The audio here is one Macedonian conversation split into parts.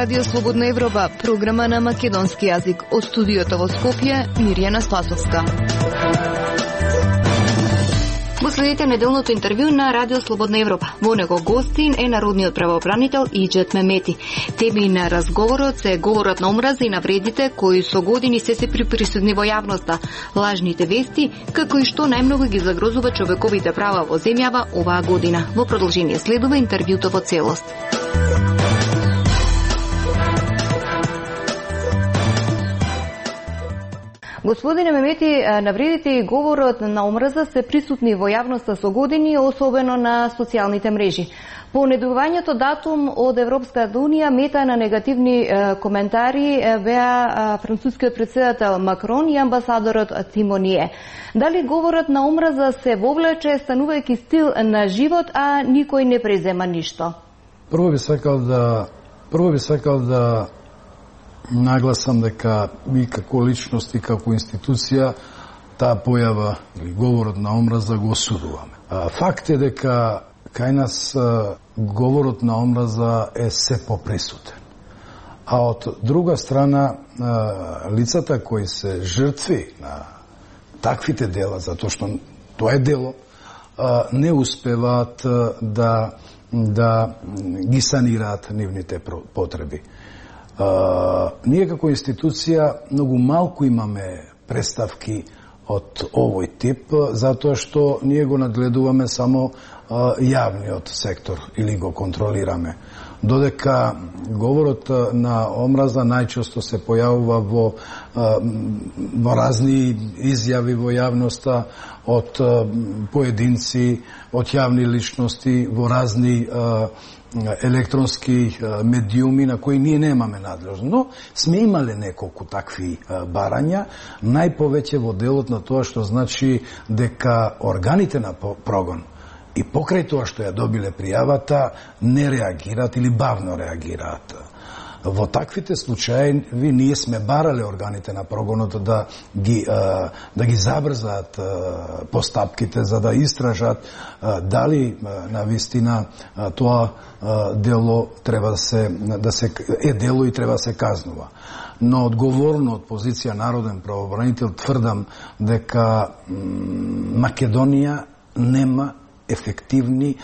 Радио Слободна Европа, програма на македонски јазик. Од студиото во Скопје, Мирјана Спасовска. Го следите неделното интервју на Радио Слободна Европа. Во него гостин е народниот правобранител Иџет Мемети. Теми на разговорот се говорот на омраза и навредите кои со години се присутни во јавноста, лажните вести, како и што најмногу ги загрозува човековите права во земјава оваа година. Во продолжение следува интервјуто во целост. Господине Мемети, навредите и говорот на омраза се присутни во јавноста со години, особено на социјалните мрежи. По недојувањето датум од Европската Унија, мета на негативни коментари беа францускиот претседател Макрон и амбасадорот Тимоние. Дали говорот на омраза се вовлече станувајќи стил на живот, а никој не презема ништо? Прво би сакал да нагласам дека ми како личност и како институција таа појава или говорот на омраза го осудуваме. Факт е дека кај нас говорот на омраза е се поприсутен. А од друга страна, лицата кои се жртви на таквите дела, затоа што тоа е дело, не успеваат да ги санираат нивните потреби. Ние како институција многу малку имаме представки од овој тип, затоа што ние го надгледуваме само јавниот сектор или го контролираме. Додека говорот на омраза најчесто се појавува во разни изјави во јавноста од поединци, од јавни личности, во разни електронски медиуми на кои ние немаме надлежност. Но сме имале неколку такви барања, најповеќе во делот на тоа што значи дека органите на прогон и покрај тоа што ја добиле пријавата не реагираат или бавно реагираат. Во таквите случаи ние сме барале органите на прогонот да ги забрзаат постапките за да истражат дали навистина тоа дело треба да се е дело и треба да се казнува. Но одговорно од позиција народен правобранител тврдам дека Македонија нема ефективни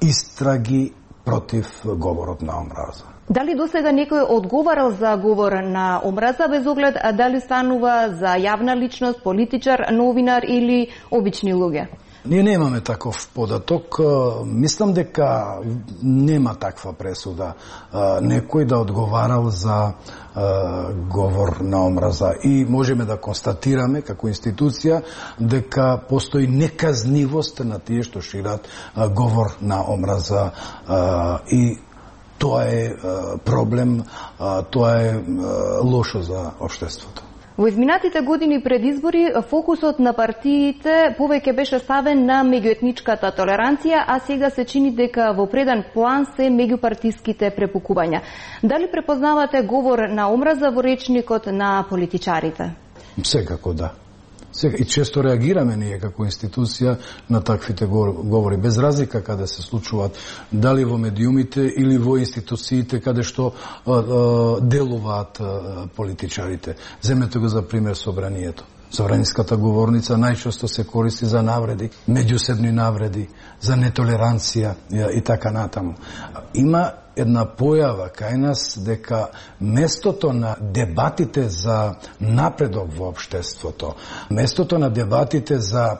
истраги против говорот на омраза. Дали досега некој одговарал за говор на омраза без оглед дали станува за јавна личност, политичар, новинар или обични луѓе? Ние немаме таков податок. Мислам дека нема таква пресуда некој да одговарал за говор на омраза. И можеме да констатираме како институција дека постои неказнивост на тие што шират говор на омраза и тоа е проблем, тоа е лошо за општеството. Во изминатите години пред избори фокусот на партиите повеќе беше ставен на меѓуетничката толеранција, а сега се чини дека во преден план се меѓупартиските препукувања. Дали препознавате говор на омраза во речникот на политичарите? Секако да. И често реагираме ние како институција на таквите говори, без разлика каде се случуваат, дали во медиумите или во институциите каде што делуваат политичарите. Земете го за пример собранието. Собраниската говорница најчесто се користи за навреди, меѓусебни навреди, за нетолеранција и така натаму. Има една појава кај нас дека местото на дебатите за напредок во општеството, местото на дебатите за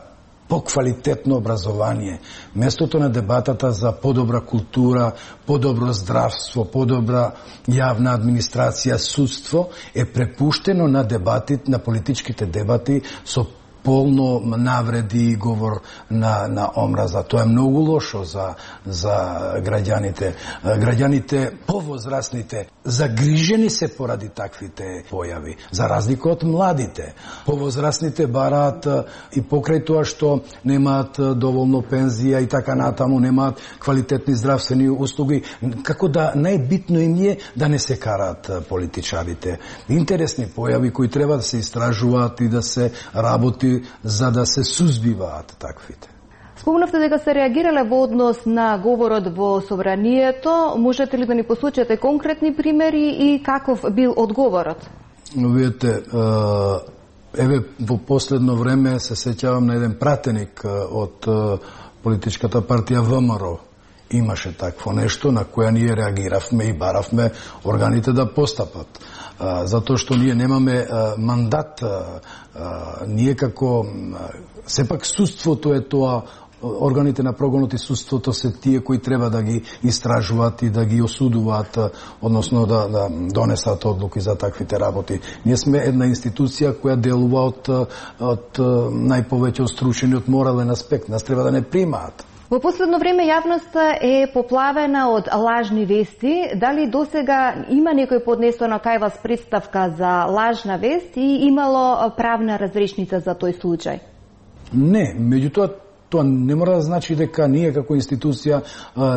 поквалитетно образование, местото на дебатата за подобра култура, подобро здравство, подобра јавна администрација, судство е препуштено на дебатите, на политичките дебати со полно навреди и говор на омраза. Тоа е многу лошо за граѓаните. Граѓаните повозрастните загрижени се поради таквите појави, за разлика од младите. Повозрастните бараат и покрај тоа што немаат доволно пензија и така натаму, немаат квалитетни здравствени услуги, како да најбитно им е да не се караат политичарите. Интересни појави кои треба да се истражуваат и да се работи за да се сузбиваат таквите. Спомнавте дека се реагирале во однос на говорот во собранието. Можете ли да ни посочите конкретни примери и каков бил одговорот? Видете, еве во последно време се сеќавам на еден пратеник од политичката партија ВМРО. Имаше такво нешто на која ние реагиравме и баравме органите да постапат. Затоа што ние немаме мандат. Ние како сепак судството е тоа, органите на прогонот и судството се тие кои треба да ги истражуваат и да ги осудуваат, односно да донесат одлуки за таквите работи. Ние сме една институција која делува од најповеќе стручени од морален аспект. Нас треба да не примаат. Во последно време јавноста е поплавена од лажни вести. Дали досега има некој поднесено кај вас представка за лажна вест и имало правна разрешница за тој случај? Не, меѓутоа тоа не мора да значи дека ние како институција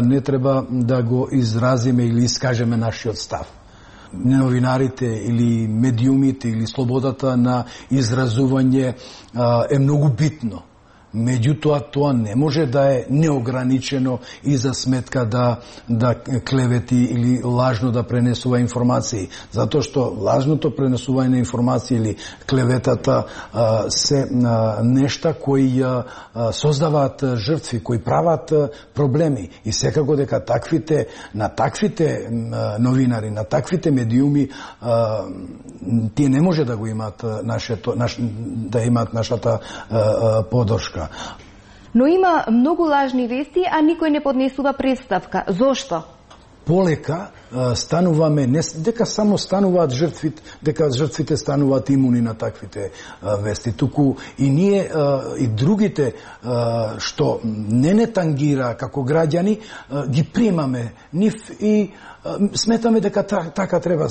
не треба да го изразиме или искажеме нашиот став. Новинарите или медиумите или слободата на изразување е многу битно. Меѓутоа, тоа не може да е неограничено и за сметка да клевети или лажно да пренесува информации. Затоа што лажното пренесување на информации или клеветата се нешта кои создаваат жртви, кои прават проблеми. И секако дека на таквите новинари, на таквите медиуми, тие не може да го имаат да имаат нашата поддршка. Но има многу лажни вести, а никој не поднесува представка. Зошто? Полека стануваме, не дека само стануваат жртвите, дека жртвите стануваат имуни на таквите вести, туку и ние и другите што не тангира како граѓани, ги примаме нив и сметаме дека така треба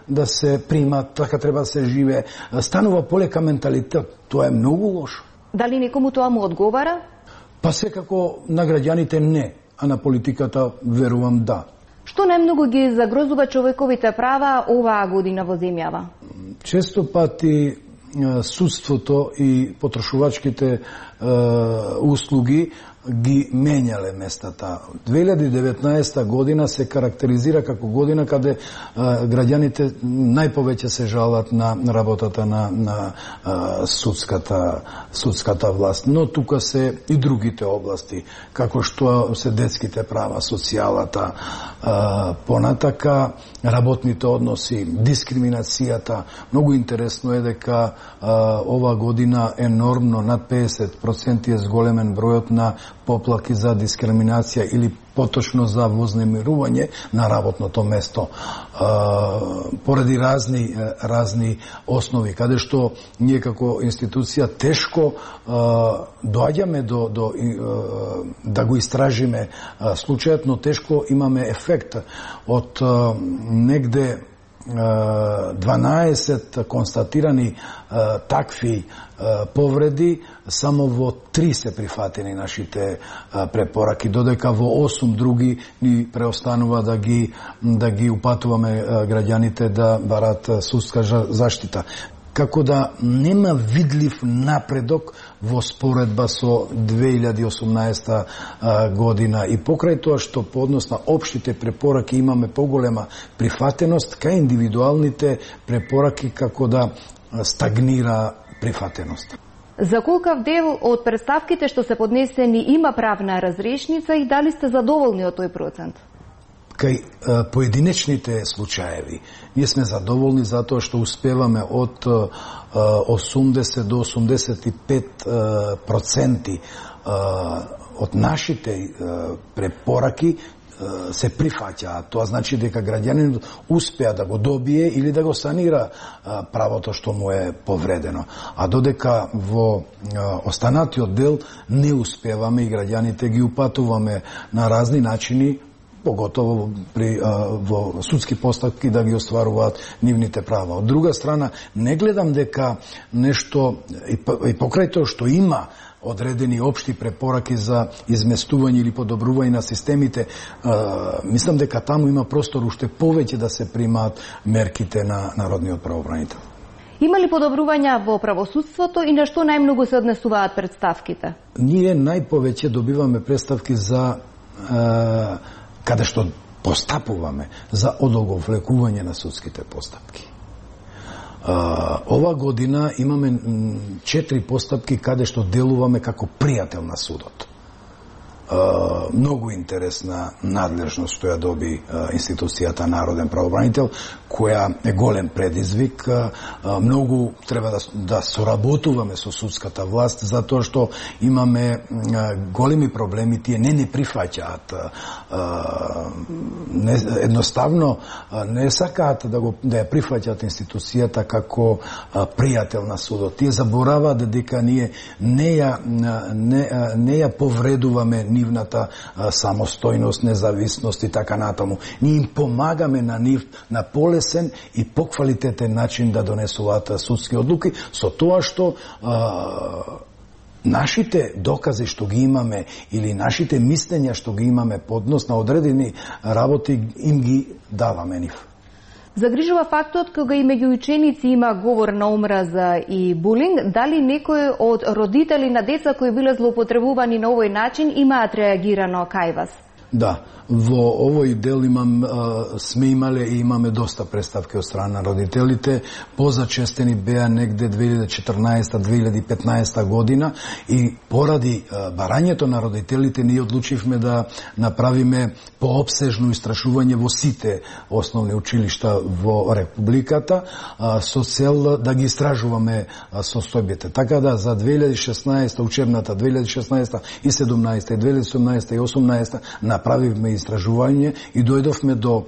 да се примат, така треба да се живее. Станува полека менталитет. Тоа е многу лошо. Дали некому тоа му одговара? Па секако на граѓаните не, а на политиката верувам да. Што најмногу ги загрозува човековите права оваа година во земјава? Често пати судството и потрошувачките услуги ги менјале местата. 2019 година се карактеризира како година каде граѓаните најповеќе се жалат на работата на судската власт. Но тука се и другите области, како што се детските права, социјалата, понатака работните односи, дискриминацијата. Многу интересно е дека ова година енормно над 50% е зголемен бројот на поплаки за дискриминација или поточно за вознемирување на работното место, поради разни основи, каде што ние како институција тешко доаѓаме да го истражиме случајот, но тешко имаме ефект од негде 12 констатирани такви повреди, само во 3 се прифатени нашите препораки, додека во 8 други ни преостанува да ги упатуваме граѓаните да барат судска заштита. Како да нема видлив напредок во споредба со 2018 година и покрај тоа што по однос на општите препораки имаме поголема прифатеност, кај индивидуалните препораки како да стагнира прифатеност. За колкав дел од представките што се поднесени има правна разрешница и дали сте задоволни од тој процент? Кај поединечните случаеви ние сме задоволни затоа што успеваме од 80 до 85% од нашите препораки се прифаќаат. Тоа значи дека граѓанинот успеа да го добие или да го санира правото што му е повредено. А додека во останатиот дел не успеваме и граѓаните ги упатуваме на разни начини, поготово во судски постапки да ги остваруваат нивните права. Од друга страна, не гледам дека нешто, и покрај тоа што има одредени општи препораки за изместување или подобрување на системите, мислам дека таму има простор уште повеќе да се примаат мерките на народниот правобранител. Има ли подобрувања во правосудството и на што најмногу се однесуваат претставките? Ние најповеќе добиваме претставки за каде што постапуваме за одолговлекување на судските постапки. Ова година имаме 4 постапки каде што делуваме како пријател на судот. Многу интересна надлежност што ја доби институцијата Народен правобранител, која е голем предизвик. Многу треба да соработуваме со судската власт, затоа што имаме големи проблеми, тие не прифаќаат. Едноставно не сакаат да ја прифаќаат институцијата како пријател на судот. Тие забораваат дека ние не ја повредуваме нивната самостојност, независност и така натаму. Ние им помагаме на нив на полесен и поквалитетен начин да донесуваат судски одлуки, со тоа што нашите докази што ги имаме или нашите мислења што ги имаме по однос на одредени работи им ги даваме нив. Загрижува фактот кога и меѓу ученици има говор на омраза и булинг, дали некој од родители на деца кои биле злоупотребувани на овој начин имаат реагирано кај вас? Да, во овој дел сме имале и имаме доста представки од страна на родителите. Позачестени беа негде 2014-2015 година и поради барањето на родителите ние одлучивме да направиме поопсежно истрашување во сите основни училишта во Републиката со цел да ги истражуваме состојбите. Така да за 2016 учебната 2016 и 17 и 2017 и 18 направивме истражување и дојдовме до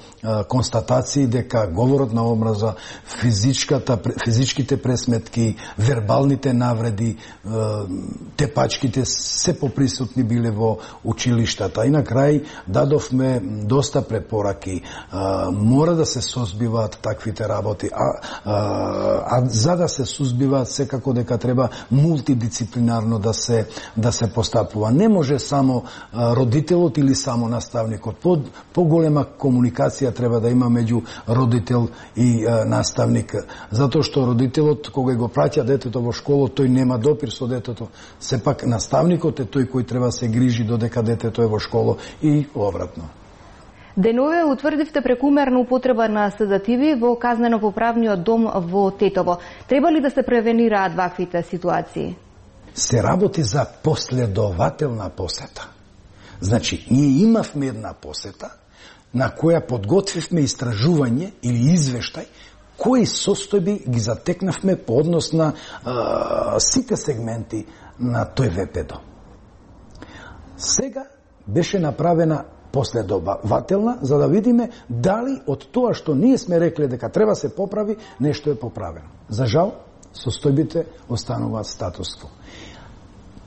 констатации дека говорот на омраза, физичките пресметки, вербалните навреди, тепачките се поприсутни биле во училиштата. И на крај дадовме доста препораки. Мора да се созбиваат таквите работи, а за да се сузбиваат секако дека треба мултидисциплинарно да се постапува. Не може само родителот или само наставникот. Поголема комуникација треба да има меѓу родител и наставник, затоа што родителот кога го праќа детето во школа, тој нема допир со детето. Сепак наставникот е тој кој треба се грижи додека детето е во школа и обратно. Денове утврдивте прекумерна употреба на седативи во казнено-поправниот дом во Тетово. Треба ли да се превенираат ваквите ситуации? Се работи за последователна посета. Значи, ние имавме една посета на која подготвивме истражување или извештај кои состојби ги затекнавме по однос на сите сегменти на тој ВПД. Сега беше направена последователна за да видиме дали од тоа што ние сме рекле дека треба се поправи, нешто е поправено. За жал, состојбите остануваат статуство.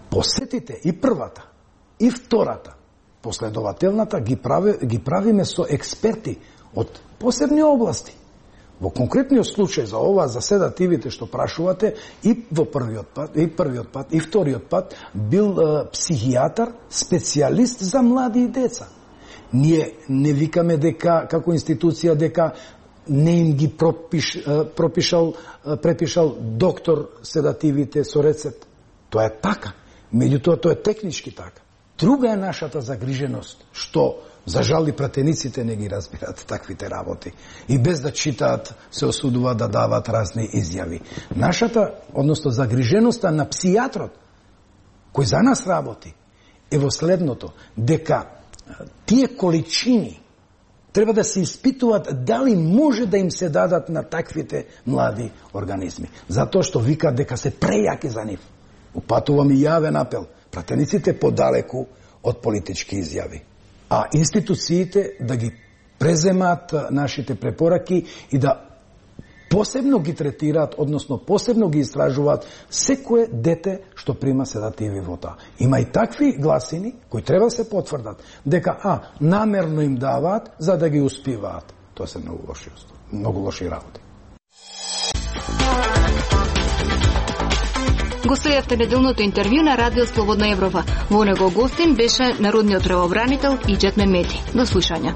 Посетите и првата, и втората, последователната ги правиме со експерти од посебни области. Во конкретниот случај за ова, за седативите што прашувате, и во првиот пат, и вториот пат бил психијатар, специјалист за млади и деца. Ние не викаме дека, како институција, дека не им ги препишал доктор седативите со рецепт. Тоа е така. Меѓутоа, тоа е технички така. Друга е нашата загриженост, што за жал и пратениците не ги разбират таквите работи и без да читаат се осудуваат да дават разни изјави. Нашата, односно загриженоста на псијатрот, кој за нас работи, е во следното, дека тие количини треба да се испитуваат дали може да им се дадат на таквите млади организми. Затоа што викаат дека се прејаки за нив. Упатувам и јавен апел. Пратениците подалеку од политички изјави. А институциите да ги преземаат нашите препораки и да посебно ги третираат, односно посебно ги истражуваат секое дете што прима седативи во таа. Има и такви гласини кои треба да се потврдат дека намерно им даваат за да ги успиваат. Тоа се многу лоши работи. Го следевте неделното интервју на Радио Слободна Европа. Во него гостин беше народниот правобранител Иџет Мемети. До слушање.